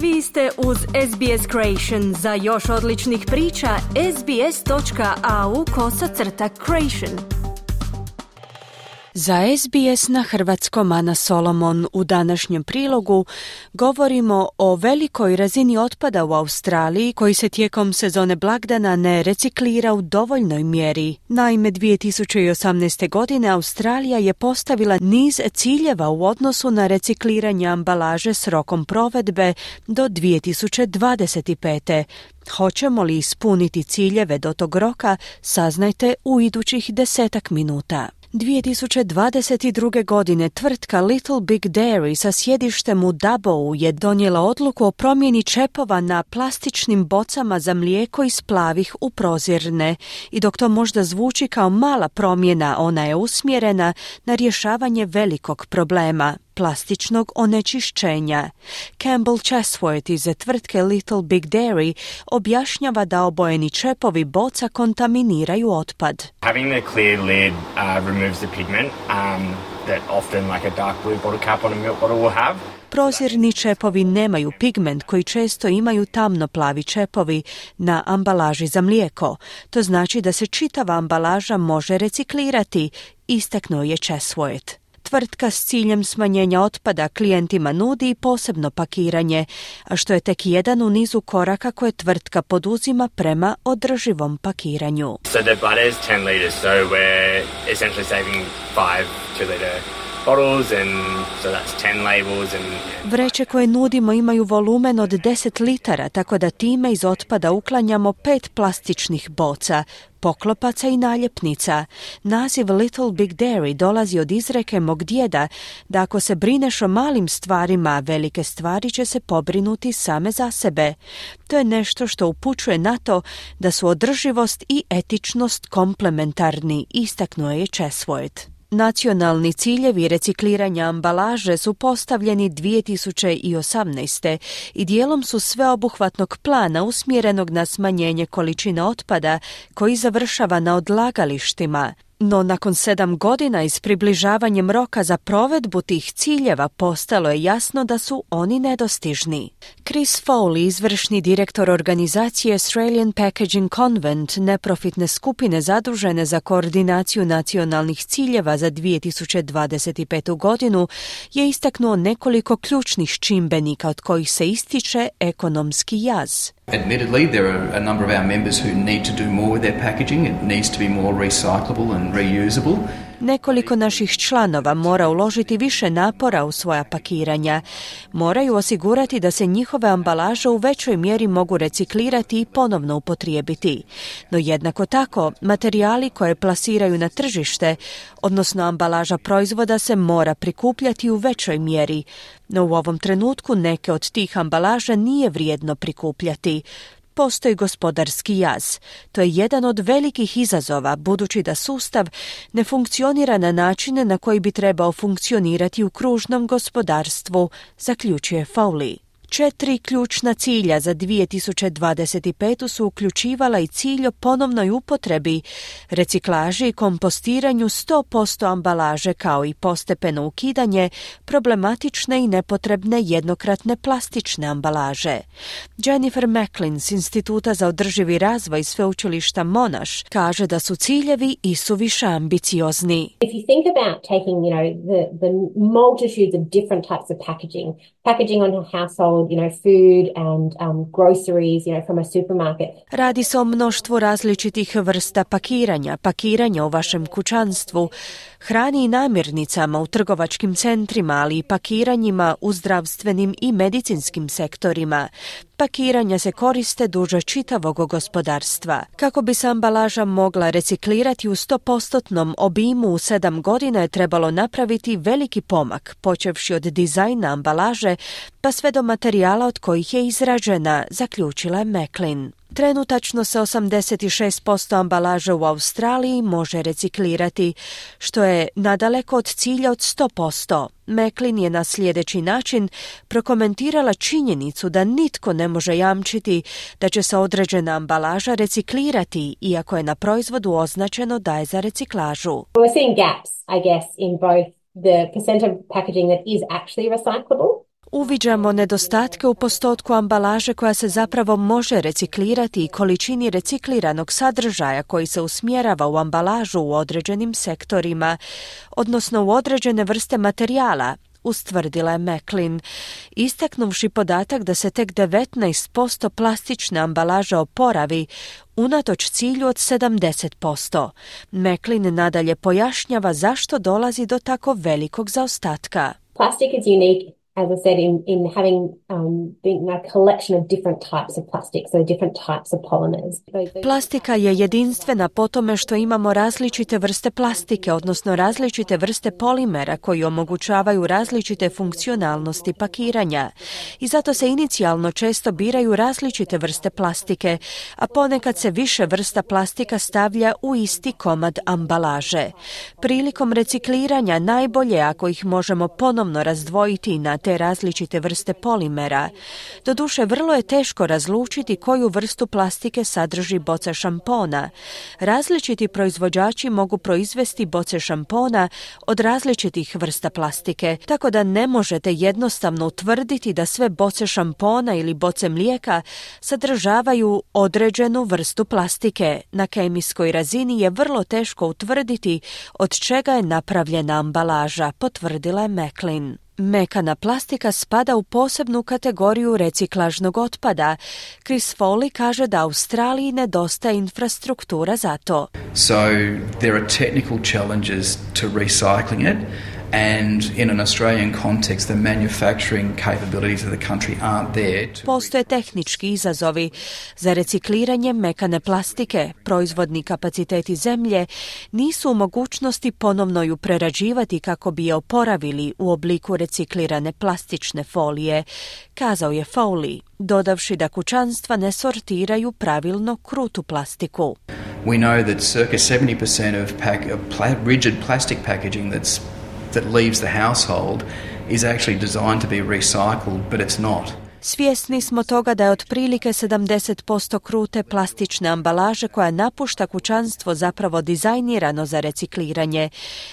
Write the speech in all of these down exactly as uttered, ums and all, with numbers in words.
Vi ste uz S B S Creation. Za još odličnih priča, sbs.au kosacrta creation. Za S B S na hrvatskom Ana Solomon. U današnjem prilogu govorimo o velikoj razini otpada u Australiji koji se tijekom sezone blagdana ne reciklira u dovoljnoj mjeri. Naime, dvije tisuće osamnaeste. godine Australija je postavila niz ciljeva u odnosu na recikliranje ambalaže s rokom provedbe do dvije tisuće dvadeset pete. Hoćemo li ispuniti ciljeve do tog roka, saznajte u idućih desetak minuta. dvije tisuće dvadeset druge. godine tvrtka Little Big Dairy sa sjedištem u Dubbovu je donijela odluku o promjeni čepova na plastičnim bocama za mlijeko iz plavih u prozirne. I dok to možda zvuči kao mala promjena, ona je usmjerena na rješavanje velikog problema – plastičnog onečišćenja. Campbell Chesworth iz tvrtke Little Big Dairy objašnjava da obojeni čepovi boca kontaminiraju otpad. Having the clear lid uh, removes the pigment um, that often like a dark blue bottle cap on a milk bottle will have. Prozirni čepovi nemaju pigment koji često imaju tamno plavi čepovi na ambalaži za mlijeko. To znači da se čitava ambalaža može reciklirati, istaknuo je Chesworth. Tvrtka s ciljem smanjenja otpada klijentima nudi posebno pakiranje, a što je tek jedan u nizu koraka koje tvrtka poduzima prema održivom pakiranju. So the butter is ten liters, so we're essentially saving five two liter bottles and so that's ten labels and Vreće koje nudimo imaju volumen od deset litara, tako da time iz otpada uklanjamo pet plastičnih boca, poklopaca i naljepnica. Naziv Little Big Dairy dolazi od izreke mog djeda da ako se brineš o malim stvarima, velike stvari će se pobrinuti same za sebe. To je nešto što upućuje na to da su održivost i etičnost komplementarni, istaknuo je Chesworth. Nacionalni ciljevi recikliranja ambalaže su postavljeni dvije tisuće osamnaeste. i dijelom su sveobuhvatnog plana usmjerenog na smanjenje količine otpada koji završava na odlagalištima. No nakon sedam godina i s približavanjem roka za provedbu tih ciljeva postalo je jasno da su oni nedostižni. Chris Foley, izvršni direktor organizacije Australian Packaging Convent, neprofitne skupine zadužene za koordinaciju nacionalnih ciljeva za dvije tisuće dvadeset petu. godinu, je istaknuo nekoliko ključnih čimbenika od kojih se ističe ekonomski jaz. Admittedly, there are a number of our members who need to do more with their packaging. It needs to be more recyclable and reusable. Nekoliko naših članova mora uložiti više napora u svoja pakiranja. Moraju osigurati da se njihove ambalaže u većoj mjeri mogu reciklirati i ponovno upotrijebiti. No jednako tako, materijali koje plasiraju na tržište, odnosno ambalaža proizvoda, se mora prikupljati u većoj mjeri. No u ovom trenutku neke od tih ambalaža nije vrijedno prikupljati. Postoji gospodarski jaz. To je jedan od velikih izazova, budući da sustav ne funkcionira na načine na koji bi trebao funkcionirati u kružnom gospodarstvu, zaključuje Foley. Četiri ključna cilja za dvije tisuće dvadeset petu. su uključivala i cilj o ponovnoj upotrebi, reciklaži i kompostiranju sto posto ambalaže, kao i postepeno ukidanje problematične i nepotrebne jednokratne plastične ambalaže. Jennifer Macklin s Instituta za održivi razvoj sveučilišta Monash kaže da su ciljevi isuviše ambiciozni. If you think about taking, you know, the, the multitudes of different types of packaging, packaging on a household, you know, food and um, groceries, you know, from a supermarket. Radi se o mnoštvu različitih vrsta pakiranja, pakiranja u vašem kućanstvu, hrani i namirnicama u trgovačkim centrima, ali i pakiranjima u zdravstvenim i medicinskim sektorima. Pakiranja se koriste duže čitavog gospodarstva. Kako bi se ambalaža mogla reciklirati u sto postotnom obimu u sedam godina je trebalo napraviti veliki pomak, počevši od dizajna ambalaže pa sve do materijala od kojih je izrađena, zaključila je Macklin. Trenutačno se osamdeset šest posto ambalaže u Australiji može reciklirati, što je nadaleko od cilja od sto posto. Macklin je na sljedeći način prokomentirala činjenicu da nitko ne može jamčiti da će se određena ambalaža reciklirati, iako je na proizvodu označeno da je za reciklažu. We're seeing gaps, I guess, in both the percent of packaging that is actually recyclable. Uviđamo nedostatke u postotku ambalaže koja se zapravo može reciklirati i količini recikliranog sadržaja koji se usmjerava u ambalažu u određenim sektorima, odnosno u određene vrste materijala, ustvrdila je Maclean, istaknuvši podatak da se tek devetnaest posto plastične ambalaže oporavi, unatoč cilju od sedamdeset posto. Maclean nadalje pojašnjava zašto dolazi do tako velikog zaostatka. Plastic is unique, as I said, in, in having um, being a collection of different types of plastic, so different types of polymers. Plastika je jedinstvena po tome što imamo različite vrste plastike, odnosno različite vrste polimera koji omogućavaju različite funkcionalnosti pakiranja. I zato se inicijalno često biraju različite vrste plastike, a ponekad se više vrsta plastika stavlja u isti komad ambalaže. Prilikom recikliranja najbolje ako ih možemo ponovno razdvojiti na te različite vrste polimera. Doduše, vrlo je teško razlučiti koju vrstu plastike sadrži boca šampona. Različiti proizvođači mogu proizvesti boce šampona od različitih vrsta plastike, tako da ne možete jednostavno utvrditi da sve boce šampona ili boce mlijeka sadržavaju određenu vrstu plastike. Na kemijskoj razini je vrlo teško utvrditi od čega je napravljena ambalaža, potvrdila je Maclean. Mekana plastika spada u posebnu kategoriju reciklažnog otpada. Chris Foley kaže da Australiji nedostaje infrastruktura za to. So there are technical challenges to recycling it. And in an Australian context, the manufacturing capabilities of the country aren't there. To... Postoje tehnički izazovi za recikliranje mekane plastike. Proizvodni kapaciteti zemlje nisu u mogućnosti ponovno ju prerađivati kako bi je oporavili u obliku reciklirane plastične folije, kazao je Foley, dodavši da kućanstva ne sortiraju pravilno krutu plastiku. We know that circa seventy percent of, pack, of pla- rigid plastic packaging that's that leaves the household is actually designed to be recycled, but it's not. Svjesni smo toga da je otprilike sedamdeset posto krute plastične ambalaže koja napušta kućanstvo zapravo dizajnirano za recikliranje,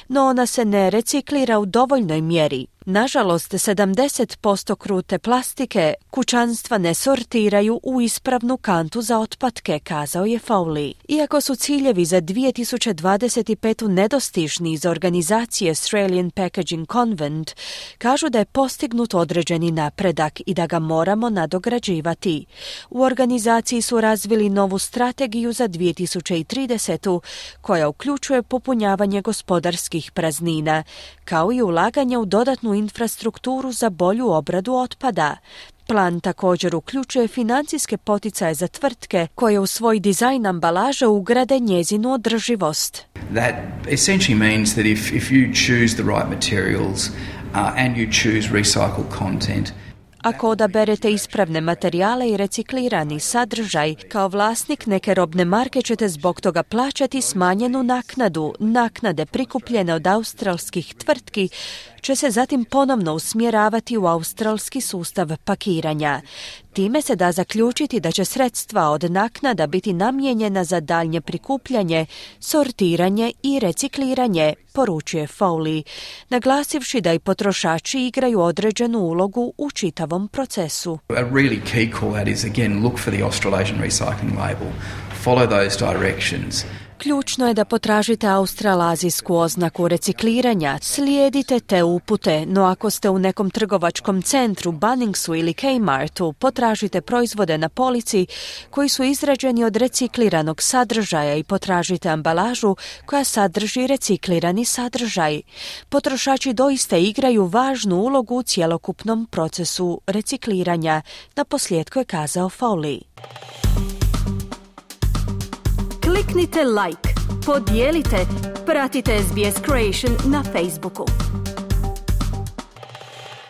no ona se ne reciklira u dovoljnoj mjeri. Nažalost, sedamdeset posto krute plastike kućanstva ne sortiraju u ispravnu kantu za otpadke, kazao je Foley. Iako su ciljevi za dvije tisuće dvadeset pet. nedostižni iz organizacije Australian Packaging Convent, kažu da je postignut određeni napredak i da ga moramo nadograđivati. U organizaciji su razvili novu strategiju za dvije tisuće trideset. koja uključuje popunjavanje gospodarskih praznina, kao i ulaganje u dodatnu infrastrukturu za bolju obradu otpada. Plan također uključuje financijske poticaje za tvrtke koje u svoj dizajn ambalaže ugrade njezinu održivost. That essentially means that if, if you choose the right materials uh, and you choose recycled content, Ako odaberete ispravne materijale i reciklirani sadržaj, kao vlasnik neke robne marke ćete zbog toga plaćati smanjenu naknadu. Naknade prikupljene od australskih tvrtki će se zatim ponovno usmjeravati u australski sustav pakiranja. Time se da zaključiti da će sredstva od naknada biti namijenjena za daljnje prikupljanje, sortiranje i recikliranje, poručuje Foley, naglasivši da i potrošači igraju određenu ulogu u čitavom procesu. A really key call out is again look for the Australasian recycling label. Follow those directions. Ključno je da potražite australazijsku oznaku recikliranja, slijedite te upute, no ako ste u nekom trgovačkom centru, Bunningsu ili Kmartu, potražite proizvode na polici koji su izrađeni od recikliranog sadržaja i potražite ambalažu koja sadrži reciklirani sadržaj. Potrošači doista igraju važnu ulogu u cjelokupnom procesu recikliranja, naposljetku je kazao Foley. Kliknite like, podijelite, pratite S B S Creation na Facebooku.